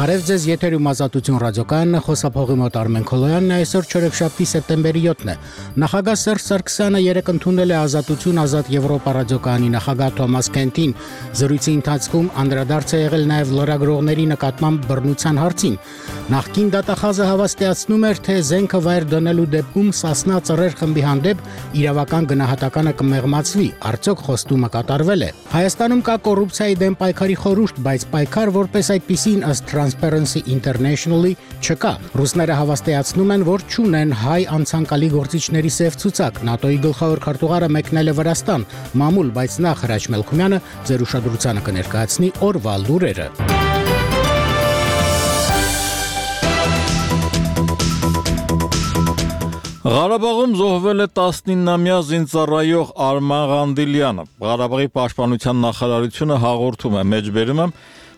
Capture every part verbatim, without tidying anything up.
Բարև ձեզ, եթերում Ազատություն ռադիոկայանն է, խոսափողի մոտ Արմեն Քոլոյանն է, այսօր չորեքշաբթի սեպտեմբերի յոթն է։ Նախագահ Սերժ Սարգսյանը երեկ ընդունել է Ազատություն ազատ Եվրոպա ռադիոկայանի նախագահ Թոմաս Քենթին։ Զրույցի ընթացքում անդրադարձ է եղել նաև լրագրողների նկատմամբ բռնության հարցին։ Նախկին դատախազը հավաստիացնում էր, թե զենքը վայր դնելու դեպքում Սասնա ծռեր խմբի հանդեպ իրավական գնահատականը կմեղմացվի, արդյոք խոստումը կատարվել է։ Հայաստանում կա կոռուպցիայի դեմ պայքարի խորհուրդ, բայց պայքար որպես այդպիսին ըստ Transparency International-ի չկա։ Ռուսները հավաստիացնում են, որ չունեն հայ անցանկալի գործիչների սև ցուցակ։ ՆԱՏՕ-ի գլխավոր քարտուղարը մեկնել է Վրաստան, մամուլ, բայց նախ Հրաչ Մելքումյանը ձեր ուշադրությանը կներկայացնի օրվա լուրերը։ Ղարաբաղում զոհվել է տասնինամյա զինծառայող Արման Ղանդիլյանը։ Ղարաբաղի պաշտպանության նախարարությունը հաղորդում է, մեջբերում է,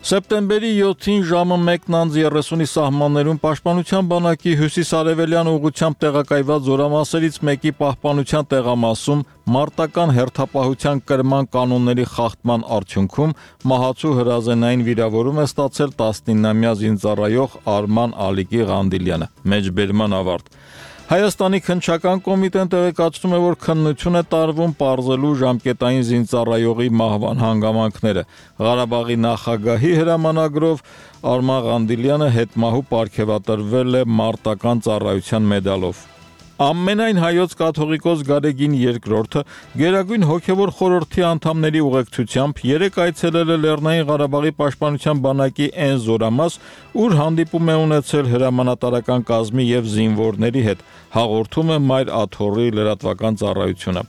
սեպտեմբերի յոթին ժամը մեկն անց երեսունի սահմաններում պաշտպանության բանակի հյուսիսարևելյան ուղղությամբ տեղակայված զորամասերից մեկի պահպանության տեղամասում մարտական հերթապահության կրման կանոնների խախտման արդյունքում մահացու հրազենային վիրավորում է ստացել տասնինամյա զինծառայող Արման Ալիկի Ղանդիլյանը։ Մեջբերման ավարտ։ Հայաստանի քննչական կոմիտեն տեղեկացնում է, որ քննություն է տարվում պարզելու ժամկետային զինծառայողի մահվան հանգամանքները։ Ղարաբաղի նախագահի հրամանագրով Արման Ղանդիլյանը հետմահու պարգևատրվել է մարտական ծառայության մեդալով։ Ամենայն հայոց կաթողիկոս Գարեգին երկրորդը Գերագույն հոգևոր խորհրդի անդամների ուղեկցությամբ երեկ այցելել է Լեռնային Ղարաբաղի պաշտպանության բանակի այն զորամաս, ուր հանդիպում է ունեցել հրամանատարական կազմի եւ զինվորների հետ, հաղորդում է Մայր Աթոռի լրատվական ծառայությունը։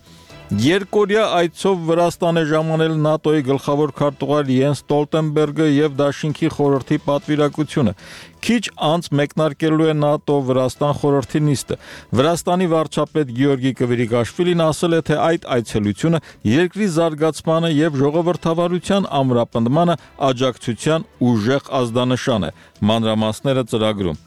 Երկօրյա այցով Վրաստան է ժամանել ՆԱՏՕ-ի գլխավոր քարտուղար Յենս Ստոլտենբերգը եւ Դաշինքի խորհրդի պատվիրակությունը։ Քիչ անց մեկնարկելու է ՆԱՏՕ-Վրաստան խորհրդի նիստը։ Վրաստանի վարչապետ Գեորգի Կվիրիկաշվիլին ասել է, թե այդ այցելությունը երկրի զարգացմանը եւ ժողովրդավարության ամրապնդմանը աջակցության ուժեղ ազդանշան է։ Մանրամասները ծրագրում։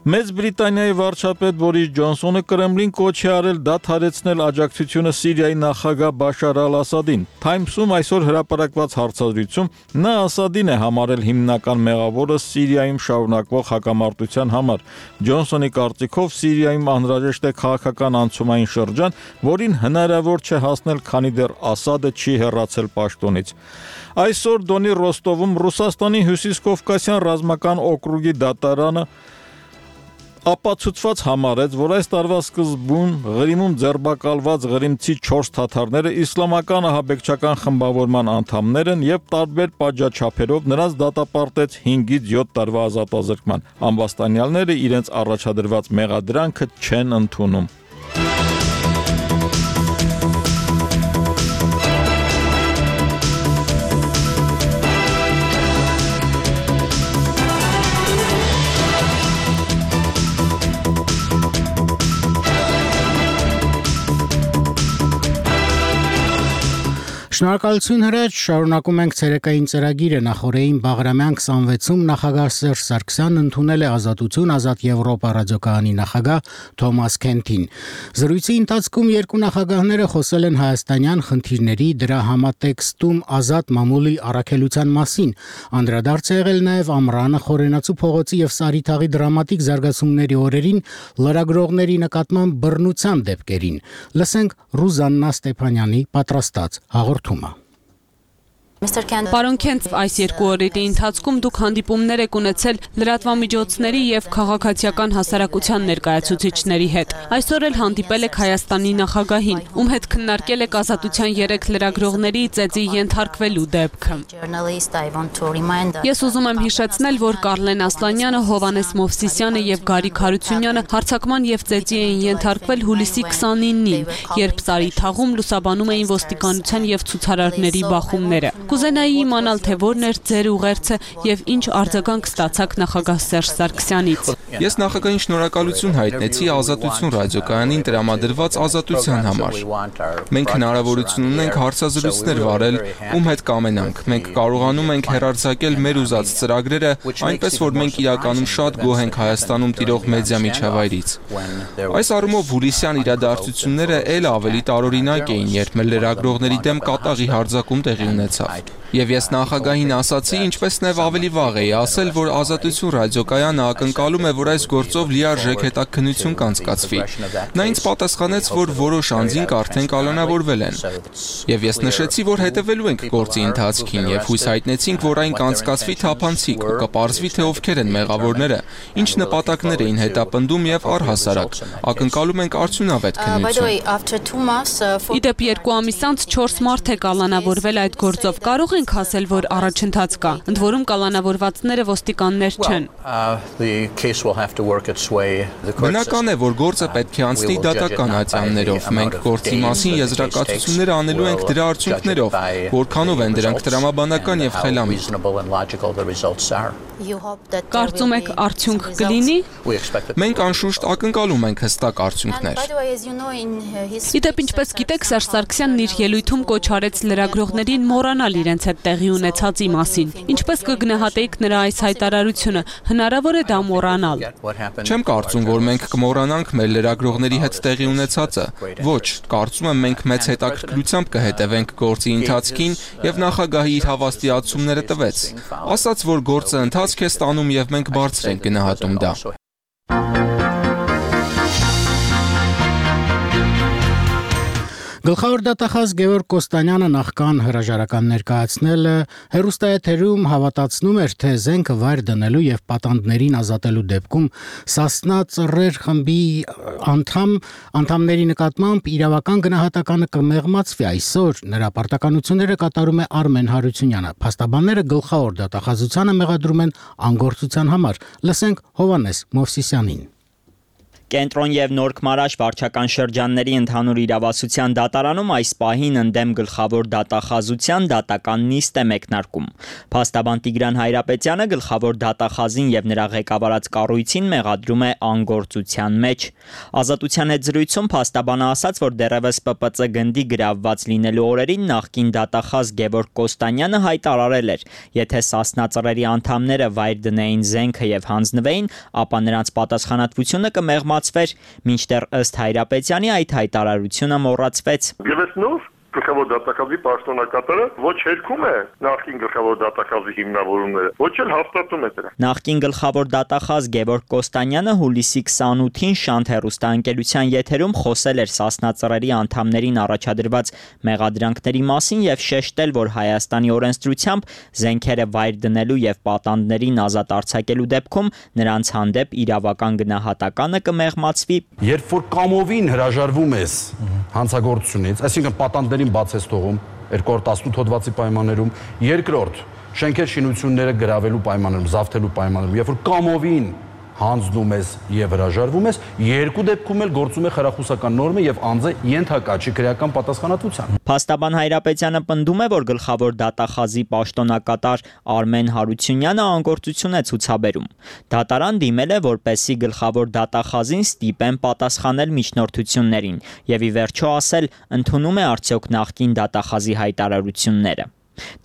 Մեծ Բրիտանիայի վարչապետ Բորիս Ջոնսոնը Կրեմլին կոչ է արել դադարեցնել աջակցությունը Սիրիայի նախագահ Բաշար Ալ-Ասադին։ Թայմսում այսօր հրապարակված հարցազրույցում նա Ասադին է համարել հիմնական մեղավորը Սիրիայում շարունակվող հակամարտության համար։ Ջոնսոնի կարծիքով Սիրիայում անհրաժեշտ է քաղաքական անցումային շրջան, որին հնարավոր չէ հասնել, քանի դեռ Ասադը չի հեռացել պաշտոնից։ Այսօր Դոնի Ռոստովում Ռուսաստանի Հյուսիսկովկասյան ռազմական օկրուգի դատարանը ապացուցված համարեց, որ այս տարվա սկզբում Ղրիմում ձերբակալված ղրիմցի չորս թաթարները իսլամական ահաբեկչական խմբավորման անդամներ են եւ տարբեր պատժաչափերով նրանց դատապարտեց հինգից յոթ տարվա ազատազրկման։ Ամբաստանյալները իրենց առաջադրված մեղադրանքը չեն ընդունում։ Շնորհակալություն Հրաչ, շարունակում ենք ցերեկային ծրագիրը։ Նախորդին Բաղրամյան քսանվեցում նախագահ Սերժ Սարգսյանն ընդունել է Ազատություն ազատ Եվրոպա ռադիոկայանի նախագահ Թոմաս Քենթին։ Զրույցի ընթացքում երկու նախագահները խոսել են հայաստանյան խնդիրների, դրա համատեքստում ազատ մամուլի առաքելության մասին։ Անդրադարձ է եղել նաև Ամռանը, Խորենացու փողոցի եւ Սարիթաղի դրամատիկ զարգացումների օրերին լրագրողների նկատմամբ բռնության դեպքերին։ Լսենք Ռուզաննա Ստեփանյանի պատրաստած հաղորդումը։ Պարոն Քենթ, այս երկու օրերի ընթացքում դուք հանդիպումներ եք ունեցել լրատվամիջոցների եւ քաղաքացիական հասարակության ներկայացուցիչների հետ։ Այսօր էլ հանդիպել եք Հայաստանի նախագահին, ում հետ քննարկել եք ազատության երեք լրագրողների ծեծի ենթարկվելու դեպքը։ Ես ուզում եմ հիշեցնել, որ Կարլեն Ասլանյանը, Հովհաննես Մովսիսյանը եւ Գարիկ Հարությունյանը հարձակման եւ ծեծի էին ենթարկվել հուլիսի քսանինին, երբ Սարիթաղում լուսաբանում էին ոստիկանության եւ ցուցարարների բախումները։ Կուզենայի իմանալ, թե որն էր ձեր ուղերձը եւ ինչ արձագանք ստացաք նախագահ Սերժ Սարգսյանից։ Ես նախագահին շնորհակալություն հայտնեցի Ազատություն ռադիոկայանին տրամադրված ազատության համար։ Մենք հնարավորություն ունենք հարցազրույցներ վարել, ում հետ կամենանք։ Մենք կարողանում ենք հեռարձակել մեր ուզած ծրագրերը, այնպես որ մենք իրականում շատ գոհ ենք Հայաստանում տիրող մեդիա միջավայրից։ Այս առումով հուլիսյան իրադարձությունները ել ավելի տարօրինակ էին, երբ մեր լրագրողների դեմ կատաղի հարձակում տեղի ունեցավ։ Եվ ես նախագահին ասացի, ինչպես նաև ավելի վաղ էի ասել, որ Ազատություն ռադիոկայանը ակնկալում է, որ այս գործով լիարժեք հետաքննություն կանցկացվի։ Նա ինձ պատասխանեց, որ որոշ անձինք արդեն կալանավորվել են։ Եվ ես նշեցի, որ հետևելու ենք գործի ընթացքին եւ հույս հայտնեցինք, որ այն կանցկացվի թափանցիկ ու կպարզվի, թե ովքեր են մեղավորները, ինչ նպատակներ էին հետապնդում եւ առհասարակ ակնկալում ենք արդյունավետ քննություն։ Իդեպ երկու ամիս անց չորս մարդ է կալանավորվել այդ գործով։ Կարող ենք ասել, որ առաջընթաց կա, ընդ որում կալանավորվածները ոստիկաններ չեն։ Բնական է, որ գործը պետք է անցնի դատական ատյաններով։ Մենք գործի մասին եզրակացությունները անելու ենք դրա արդյունքներով, որքանով են դրանք տրամաբանական եւ խելամիտ։ Կարծում եք արդյունք կլինի։ Մենք անշուշտ ակնկալում ենք հստակ արդյունքներ։ Իդեպ ինչպես գիտեք, Սերժ Սարգսյանն իր ելույթում կոչ արեց լրագրողներին մոռանալ իրենց հետ տեղի ունեցածի մասին։ Ինչպես կգնահատեիք նրա այս հայտարարությունը, հնարավոր է դա մոռանալ։ Չեմ կարծում, որ մենք կմոռանանք մեր լրագրողների հետ տեղի ունեցածը։ Ոչ, կարծում եմ մենք մեծ հետաքրքրությամբ կհետևենք գործի ընթացքին եւ նախագահի իր հավաստիացումները տվեց։ Ասաց, որ գործը ընթացք է ստանում եւ մենք բարձր ենք գնահատում դա։ Գլխավոր դատախազ Գևորգ Կոստանյանը նախքան հրաժարական ներկայացնելը հեռուստաեթերում հավատացնում էր, թե զենքը վայր դնելու եւ պատանդներին ազատելու դեպքում Սասնա ծռեր խմբի անդամ անդամների նկատմամբ իրավական գնահատականը կմեղմացվի։ Այսօր նրա պարտականությունները կատարում է Արմեն Հարությունյանը։ Փաստաբանները գլխավոր դատախազությանը մեղադրում են անգործության համար։ Լսենք Հովանես Մովսիսյանին։ Կենտրոն եւ Նոր Քմարաշ վարչական շրջանների ընդհանուր իրավասության դատարանում այս պահին ընդդեմ գլխավոր դատախազության դատական նիստ է մեկնարկում։ Փաստաբան Տիգրան Հայրապետյանը գլխավոր դատախազին եւ նրա ղեկավարած կառույցին մեղադրում է անգործության մեջ։ Ազատության հետ զրույցում փաստաբանը ասաց, որ դեռևս Պ Պ Ծ գնդի գրավված լինելու օրերին նախկին դատախազ Գևորգ Կոստանյանը հայտարարել էր, եթե Սասնա ծռերի անդամները վայր դնեին զենքը եւ հանձնվեին, ապա նրանց պատասխանատվությունը կմեղմացվի մինչդեռ ըստ Հայրապետյանի այդ հայտարարությունը մոռացվեց։ Եվս նոր գլխավոր դատախազի պաշտոնակատարը ոչ հերքում է նախկին գլխավոր դատախազի հիմնավորումները, ոչ էլ հաստատում է դրանք։ Նախկին գլխավոր դատախազ Գևորգ Կոստանյանը հուլիսի քսանութին Շանթ հեռուստաընկերության եթերում խոսել էր Սասնա ծռերի անդամներին առաջադրված մեղադրանքների մասին եւ շեշտել, որ Հայաստանի օրենսդրությամբ զենքերը վայր դնելու եւ պատանդներին ազատ արձակելու դեպքում նրանց հանդեպ իրավական գնահատականը կմեղմացվի։ Երբ որ կամովին հրաժարվում ես հանցագործությունից, այսինքն պատանդների բաց ես թողում երկու հազար տասնութ հոդվածի պայմաններում, երկրորդ շենքեր շինությունները գրավելու պայմաններում, զավթելու պայմաններում, երբ որ կամովին հանձնում ես եւ հրաժարվում ես, երկու դեպքում էլ գործում է խրախուսական նորմը եւ անձը ենթակա չի քրեական պատասխանատվության։ Փաստաբան Հայրապետյանը պնդում է, որ գլխավոր դատախազի պաշտոնակատար Արմեն Հարությունյանը անգործություն է ցուցաբերում։ Դատարան դիմել է, որպեսզի գլխավոր դատախազին ստիպեն պատասխանել միջնորդություններին եւ ի վերջո ասել, ընդունում է արդյոք նախկին դատախազի հայտարարությունները։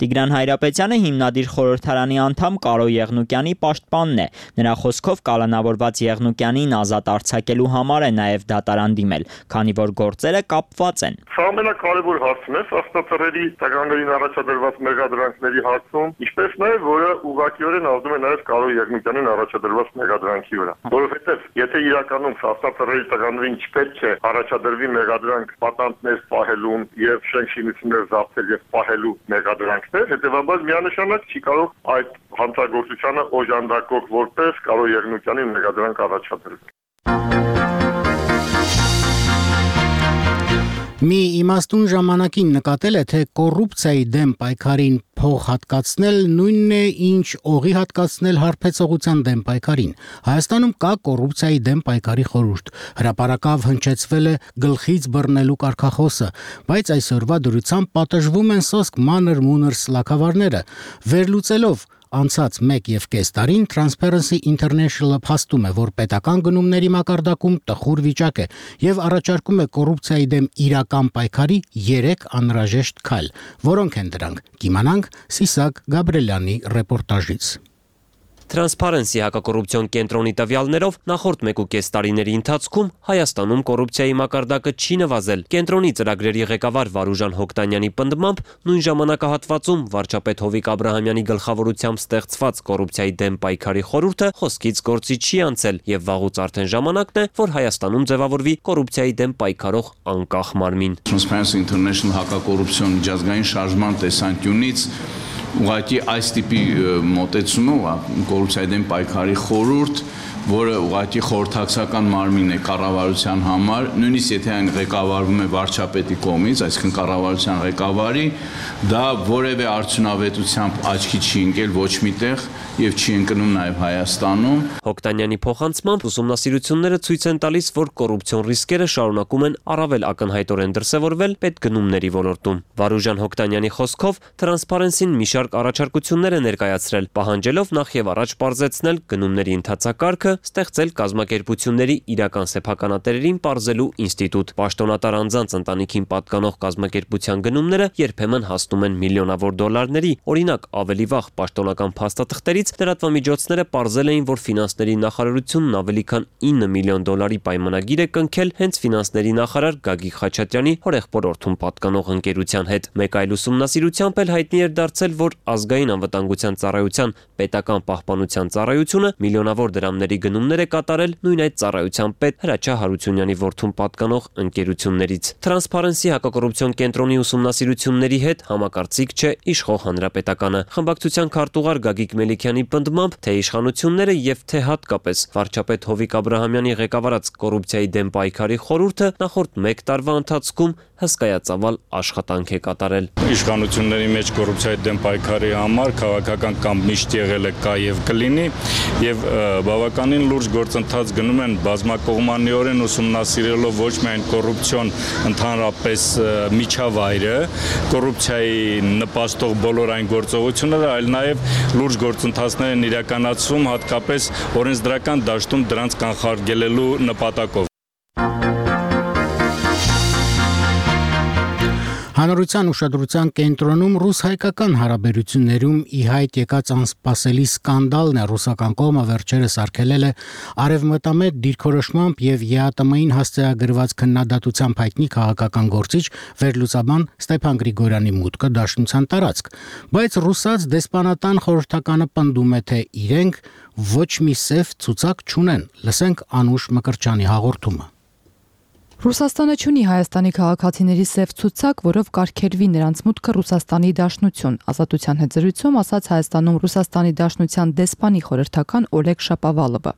Տիգրան Հայրապետյանը հիմնադիր խորհրդարանի անդամ Կարո Եղնուկյանի պաշտպանն է։ Նրա խոսքով կալանավորված Եղնուկյանին ազատ արձակելու համար է նաև դատարան դիմել, քանի որ գործերը կապված են։ Սա ամենակարևոր հարցն է Սասնա ծռերի տղաներին առաջադրված մեղադրանքների հարցում, ինչպես նաև որը ուղղակիորեն ազդում է նաև Կարո Եղնուկյանին առաջադրված մեղադրանքի վրա։ Որովհետև եթե իրականում Սասնա ծռերի տղաներին չպետք է առաջադրվի մեղադրանք պատանդներ պահելուն եւ շենքշինություններ զավթել եւ պահելու մեղադրանքներ, հետեւաբար միանշանակ չի կարող այդ հանցագործությանը օժանդակող որպես Կարո Եղնուկյանին մեղադրանք առաջադրել։ Մի իմաստուն ժամանակին նկատել է, թե կոռուպցիայի դեմ պայքարին փող հատկացնել նույնն է, ինչ օղի հատկացնել հարբեցողության դեմ պայքարին։ Հայաստանում կա կոռուպցիայի դեմ պայքարի խորհուրդ։ Հրապարակավ հնչեցվել է գլխից բռնելու կարգախոսը, բայց այսօրվա դրությամբ պատժվում են սոսկ մանր-մունր սլաքավարները։ Վերլուծելով անցած մեկ եւ կես տարին Transparency International-ը փաստում է, որ պետական գնումների մակարդակում տխուր վիճակ է եւ առաջարկում է կոռուպցիայի դեմ իրական պայքարի երեք անհրաժեշտ քայլ։ Որոնք են դրանք։ Կիմանանք Սիսակ Գաբրելյանի ռեպորտաժից։ Transparency հակակոռուպցիոն կենտրոնի տվյալներով նախորդ մեկուկես տարիների ընթացքում Հայաստանում կոռուպցիայի մակարդակը չի նվազել։ Կենտրոնի ծրագրերի ղեկավար Վարուժան Հոկտանյանի պնդմամբ նույն ժամանակահատվածում վարչապետ Հովիկ Աբրահամյանի գլխավորությամբ ստեղծված կոռուպցիայի դեմ պայքարի խորհուրդը խոսքից գործի չի անցել եւ վաղուց արդեն ժամանակն է, որ Հայաստանում ձևավորվի կոռուպցիայի դեմ պայքարող անկախ մարմին։ Transparency International հակակոռուպցիոն միջազգային շարժման տեսանկյունից ուղղակի այս տիպի մոտեցումը կոռուպցիայի դեմ պայքարի խորհուրդ, որը ուղղակի խորհրդակցական մարմին է կառավարության համար, նույնիսկ եթե այն ղեկավարվում է վարչապետի կողմից, այսինքն կառավարության ղեկավարի, դա որևէ արդյունավետությամբ աչքի չի ընկել ոչ միտեղ եւ չի ընկնում նաեւ Հայաստանում։ Հոկտանյանի փոխանցմամբ ուսումնասիրությունները ցույց են տալիս, որ կոռուպցիոն ռիսկերը շարունակում են առավել ակնհայտորեն դրսևորվել պետգնումների ոլորտում։ Վարուժան Հոկտանյանի խոսքով Transparency-ն մի շարք առաջարկություններ է ներկայացրել, պահանջելով նախ եւ առաջ պարզեցնել գնումների ընթացակարգը, ստեղծել կազմակերպությունների իրական սեփականատերերին պարզելու ինստիտուտ։ Պաշտոնատար անձանց ընտանիքին պատկանող կազմակերպության գնումները երբեմն հասնում են միլիոնավոր դոլարների։ Օրինակ, ավելի վաղ պաշտոնական փաստաթղթերից լրատվամիջոցները պարզել էին, որ ֆինանսների նախարարությունն ավելի քան ինը միլիոն դոլարի պայմանագիր է կնքել հենց ֆինանսների նախարար Գագիկ Խաչատրյանի հորեղբորորդուն պատկանող ընկերության հետ։ Մեկ այլ ուսումնասիրությամբ էլ հայտնի էր դարձել, որ ազգային անվտանգության ծառայության պետական պահպանության ծառայությունը միլիոնավոր դրամների գնումներ է կատարել նույն այդ ծառայության պետ Հրաչյա Հարությունյանի որդուն պատկանող ընկերություններից։ Transparency հակակոռուպցիոն կենտրոնի ուսումնասիրությունների հետ համակարծիք չէ իշխող հանրապետականը։ Խմբակցության քարտուղար Գագիկ Մելիքյանի պնդմամբ, թե իշխանությունները եւ թե հատկապես վարչապետ Հովիկ Աբրահամյանի ղեկավարած կոռուպցիայի դեմ պայքարի խորհուրդը նախորդ մեկ տարվա ընթացքում հսկայածավալ աշխատանք է կատարել։ Իշխանությունների մեջ կոռուպցիայի դեմ պայքարի համար քաղաքական կամ միշտ եղել է կա եւ կլինի եւ բավականին լուրջ գործընթաց գնում են բազմակողմանիորեն ուսումնասիրելով ոչ միայն կոռուպցիոն ընդհանրապես միջավայրը, կոռուպցիայի նպաստող բոլոր այն գործողությունները, այլ նաեւ լուրջ գործընթացներ են իրականացում հատկապես օրենսդրական դաշտում դրանց կանխարգելելու նպատակով։ Հանրության ուշադրության կենտրոնում ռուս-հայկական հարաբերություններում ի հայտ եկած անսպասելի սկանդալն է ռուսական կողմը վերջերս արգելել է արևմտամետ դիրքորոշմամբ եւ ԵԱՏՄ-ին հասցեագրված քննադատությամբ հայտնի քաղաքական գործիչ վերլուծաբան Ստեփան Գրիգորյանի մուտքը դաշնության տարածք, բայց ռուսաց դեսպանատան խորհրդականը պնդում է, թե իրենք ոչ մի սև ցուցակ չունեն։ Լսենք Անուշ Մկրտչյանի հաղորդումը։ Ռուսաստանը չունի Հայաստանի քաղաքացիների սև ցուցակ, որով կարգելվի նրանց մուտքը Ռուսաստանի Դաշնություն, Ազատության հետ զրույցում ասաց Հայաստանում Ռուսաստանի Դաշնության դեսպանի խորհրդական Օլեգ Շապավալովը։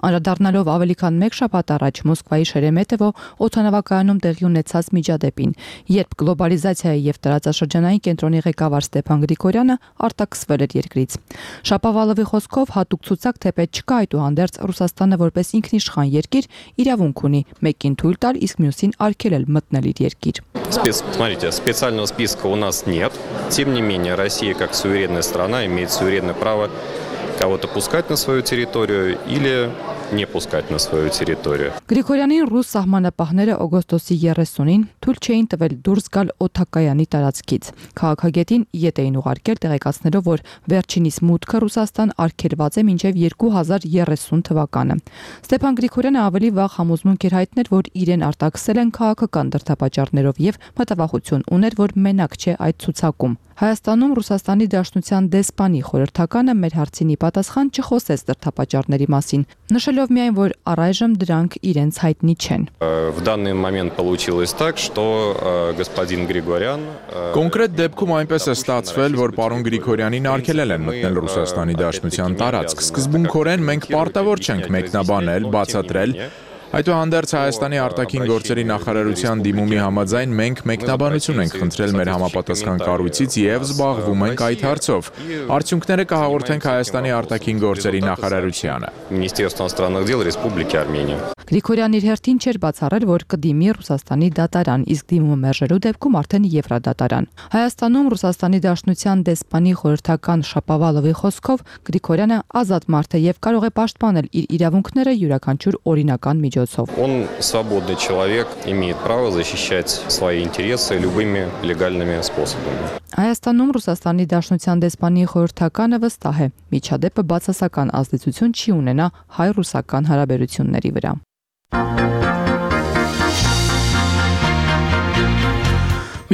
Անդրադառնալով ավելի քան մեկ շաբաթ առաջ Մոսկվայի Շերեմետևո օդանավակայանում տեղի ունեցած միջադեպին, երբ գլոբալիզացիայի եւ տարածաշրջանային կենտրոնի ղեկավար Ստեփան Գրիգորյանը արտաքսվել էր երկրից։ Շապավալովի խոսքով հատուկ ցուցակ թեպետ չկա, այդուհանդերձ Ռուսաստանը որպես ինքնիշխան երկիր իրավունք ունի մեկին թույլ տալ, իսկ մյուսին արգելել մտնել իր երկիր։ Смотрите, специального списка у нас нет. Тем не менее, Россия как суверенная страна имеет суверенное право кого-то пускать на свою территорию или не пускать на свою территорию. Գրիգորյանին ռուս սահմանապահները օգոստոսի երեսունին թույլ չէին տվել դուրս գալ օդակայանի տարածքից։ Քաղաքագետին ետ էին ուղարկել տեղեկացնելով, որ վերջինիս մուտքը Ռուսաստան արգելված է մինչև երկու հազար երեսուն թվականը։ Ստեփան Գրիգորյանը ավելի վաղ համոզմունք էր հայտնել, որ իրեն արտաքսել են քաղաքական դրդապատճառներով եւ մտավախություն ուներ, որ մենակ չէ այդ ցուցակում։ Հայաստանում Ռուսաստանի Դաշնության դեսպանի խորհրդականը մեր հարցին ի պատասխան չխոսեց դրդապատճառների մասին, նշելով միայն, որ առայժմ դրանք իրենց հայտնի չեն։ В данный момент получилось так, что господин Григорян Կոնկրետ դեպքում այնպես է ստացվել, որ պարոն Գրիգորյանին արգելել են մտնել Ռուսաստանի Դաշնության տարածք։ Սկզբունքորեն մենք պարտավոր չենք մեկնաբանել, բացատրել Այդուհանդերձ Հայաստանի արտաքին գործերի նախարարության դիմումի համաձայն մենք մեկնաբանություն ենք խնդրել մեր համապատասխան կառույցից եւ զբաղվում ենք այդ հարցով։ Արդյունքները կհաղորդենք Հայաստանի արտաքին գործերի նախարարությանը։ Министерство иностранных дел Республики Армения։ Գրիգորյանն իր հերթին չէր բացառել, որ կդիմի Ռուսաստանի դատարան, իսկ դիմումը մերժելու դեպքում արդեն Եվրադատարան։ Հայաստանում Ռուսաստանի Դաշնության դեսպանի խորհրդական Շապավալովի խոսքով Գրիգորյանը ազատ մարդ է եւ կարող է պաշտպանել իր իրավունքները յուրաքանչյուր օրինական միջոցով։ միջոցով։ Он свободный человек, имеет право защищать свои интересы любыми легальными способами. Հայաստանում Ռուսաստանի Դաշնության դեսպանի խորհրդականը վստահ է, միջադեպը բացասական ազդեցություն չի ունենա հայ-ռուսական հարաբերությունների վրա։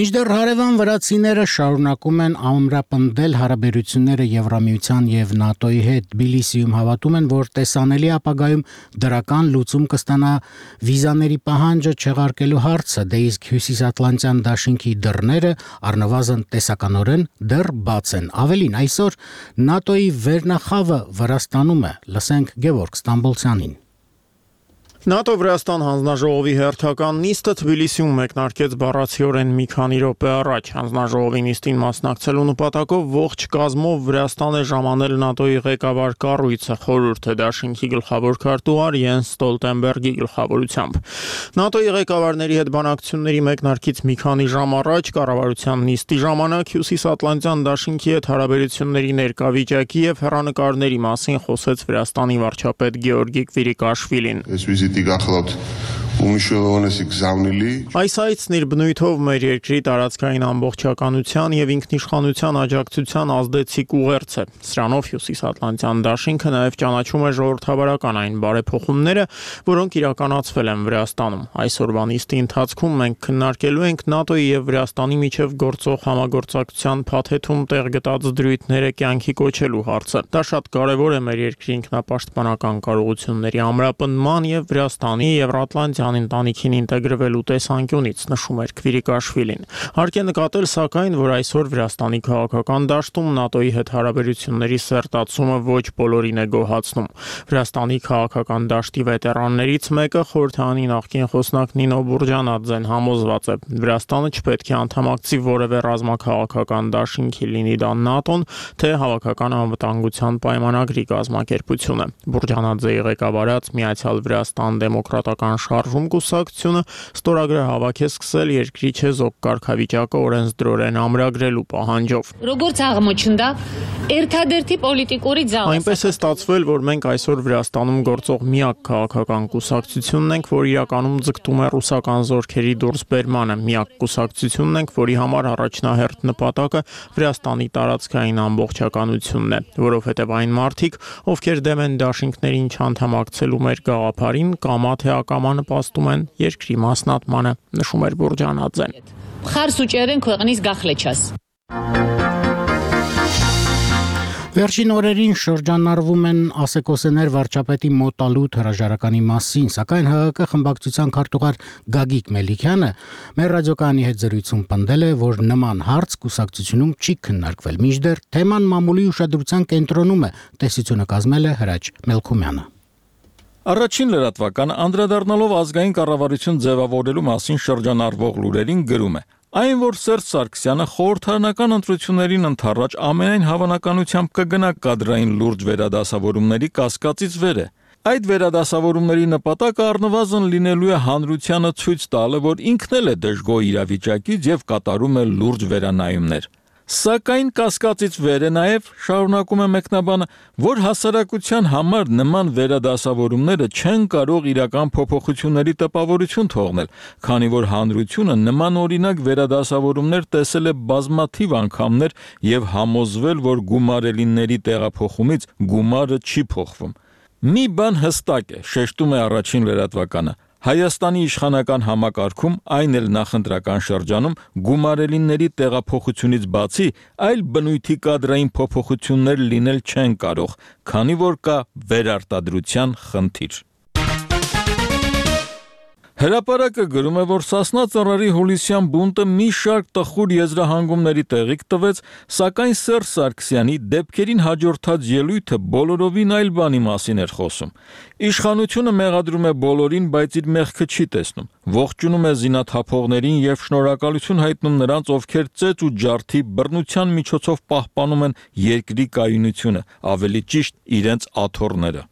Մինչդեռ հարևան վրացիները շարունակում են ամրապնդել հարաբերությունները Եվրամիության եւ ՆԱՏՕ-ի հետ։ Թբիլիսիում հավատում են, որ տեսանելի ապագայում դրական լուծում կստանա վիզաների պահանջը չեղարկելու հարցը, դե իսկ Հյուսիսատլանտյան դաշինքի դռները առնվազն տեսականորեն դեռ բաց են։ Ավելին, այսօր ՆԱՏՕ-ի վերնախավը Վրաստանում է։ Լսենք Գևորգ Ստամբոլցյանին։ ՆԱՏՕ-Վրաստան հանձնաժողովի հերթական նիստը Թբիլիսիում մեկնարկեց բառացիորեն մի քանի րոպե առաջ։ Հանձնաժողովի նիստին մասնակցելու նպատակով ողջ կազմով Վրաստան է ժամանել ՆԱՏՕ-ի ղեկավար կառույցը, խորհուրդը դաշինքի գլխավոր քարտուղար Յենս Ստոլտենբերգի գլխավորությամբ։ ՆԱՏՕ-ի ղեկավարների հետ բանակցությունների մեկնարկից մի քանի ժամ առաջ կառավարության նիստի ժամանակ Հյուսիսատլանտյան դաշինքի հետ հարաբերությունների ներկա վիճակի եւ հեռանկարների մասին խոսեց Վրաստանի վարչապետ Գեորգի Կվիրիկաշվիլին։ Այս այցն իր բնույթով մեր երկրի տարածքային ամբողջականության եւ ինքնիշխանության աջակցության ազդեցիկ ուղերձ է։ Սրանով Հյուսիսատլանտյան դաշինքը նաեւ ճանաչում է ժողովրդավարական այն բարեփոխումները, որոնք իրականացվել են Վրաստանում։ Այսօրվա նիստի ընթացքում մենք քննարկելու ենք ՆԱՏՕ-ի եւ Վրաստանի միջև գործող համագործակցության փաթեթում տեղ գտած դրույթները կյանքի կոչելու հարցը։ Դա շատ կարեւոր է մեր երկրի ինքնապաշտպանական կարողությունների ամրապնդման եւ Վրաստանի Եվրատլանտյան ընտանիքին ինտեգրվելու տեսանկյունից, նշում էր Կվիրիկաշվիլին։ Հարկ է նկատել, սակայն, որ այսօր Վրաստանի քաղաքական դաշտում ՆԱՏՕ-ի հետ հարաբերությունների սերտացումը ոչ բոլորին է գոհացնում։ Վրաստանի քաղաքական դաշտի վետերաններից մեկը, խորհրդարանի նախկին խոսնակ Նինո Բուրջանաձեն, համոզված է, Վրաստանը չպետք է անդամակցի որևէ ռազմաքաղաքական դաշինքի, լինի դա ՆԱՏՕ-ն, թե հավաքական անվտանգության պայմանագրի կազմակերպությունը։ Բուրջանաձեի ղեկավարած Միացյալ Վրաստան դեմոկրատական շարժում կուսակցությունը ստորագրը հավաք է սկսել երկրի չեզոք կարգավիճակը օրենսդրորեն ամրագրելու պահանջով։ Այնպես է ստացվել, որ մենք այսօր Վրաստանում գործող միակ քաղաքական կուսակցությունն ենք, որ իրականում ձգտում է ռուսական զորքերի դուրսբերմանը, միակ կուսակցությունն ենք, որի համար առաջնահերթ նպատակը Վրաստանի տարածքային ամբողջականությունն է, որովհետև այն մարդիկ, ովքեր դեմ են դաշինքներին չանդամակցելու մեր գաղափարին, կամա թե ակամա նպաստում են երկրի մասնատմանը, նշում էր Բուրջանաձեն։ Վերջին օրերին շրջանառվում են ասեկոսեներ վարչապետի մոտալուտ հրաժարականի մասին, սակայն ՀՀԿ խմբակցության քարտուղար Գագիկ Մելիքյանը մեր ռադիոկայանի հետ զրույցում պնդել է, որ նման հարց կուսակցությունում չի քննարկվել, մինչդեռ թեման մամուլի ուշադրության կենտրոնում է, տեսությունը կազմել է Հրաչ Մելքումյանը։ Առաջին լրատվական անդրադառնալով ազգային կառավարություն ձևավորելու մասին շրջանառվող լուրերին գրում է. Այն, որ Սերժ Սարգսյանը խորհրդարանական ընտրություններին ընդառաջ ամենայն հավանականությամբ կգնա կադրային լուրջ վերադասավորումների կասկածից վեր է։ Այդ վերադասավորումների նպատակը առնվազն լինելու է հանրությանը ցույց տալը, որ ինքն էլ է դժգոհ իրավիճակից եւ կատարում է լուրջ վերանայումներ։ Սակայն կասկածից վեր է նաև, շարունակում է մեկնաբանը, որ հասարակության համար նման վերադասավորումները չեն կարող իրական փոփոխությունների տպավորություն թողնել, քանի որ հանրությունը նման օրինակ վերադասավորումներ տեսել է բազմաթիվ անգամներ եւ համոզվել, որ գումարելիների տեղափոխումից գումարը չի փոխվում։ Մի բան հստակ է, շեշտում է առաջին լրատվականը. Հայաստանի իշխանական համակարգում, այն էլ նախընտրական շրջանում, գումարելիների տեղափոխությունից բացի, այլ բնույթի կադրային փոփոխություններ լինել չեն կարող, քանի որ կա վերարտադրության խնդիր։ Հրապարակը գրում է, որ Սասնա ծռերի հուլիսյան բունտը մի շարք տխուր եզրահանգումների տեղիք տվեց, սակայն Սերժ Սարգսյանի դեպքերին հաջորդած ելույթը բոլորովին այլ բանի մասին էր խոսում։ Իշխանությունը մեղադրում է բոլորին, բայց իր մեղքը չի տեսնում։ Ողջունում է զինաթափողներին եւ շնորհակալություն հայտնում նրանց, ովքեր ծեծ ու ջարդի բռնության միջոցով պահպանում են երկրի կայունությունը, ավելի ճիշտ իրենց աթոռները։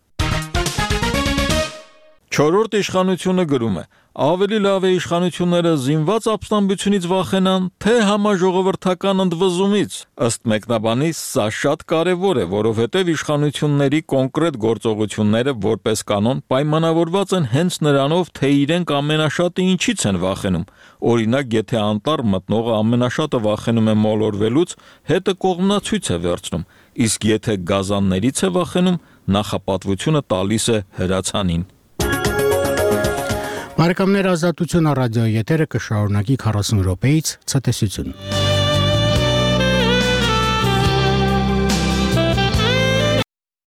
Չորրորդ իշխանությունը գրում է. Ավելի լավ է իշխանությունները զինված ապստամբությունից վախենան, թե համաժողովրդական ընդվզումից։ Ըստ մեկնաբանի, սա շատ կարևոր է, որովհետև իշխանությունների կոնկրետ գործողությունները որպես կանոն պայմանավորված են հենց նրանով, թե իրենք ամենաշատը ինչից են վախենում։ Օրինակ, եթե անտառ մտնողը ամենաշատը վախենում է մոլորվելուց, հետը կողմնացույց է վերցնում, իսկ եթե գազաններից է վախենում, նախապատվությունը տալիս է հրացանին։ Բարեկամներ, Ազատություն ռադիոյի եթերը կշարունակի քառասուն րոպեից ցտեսություն։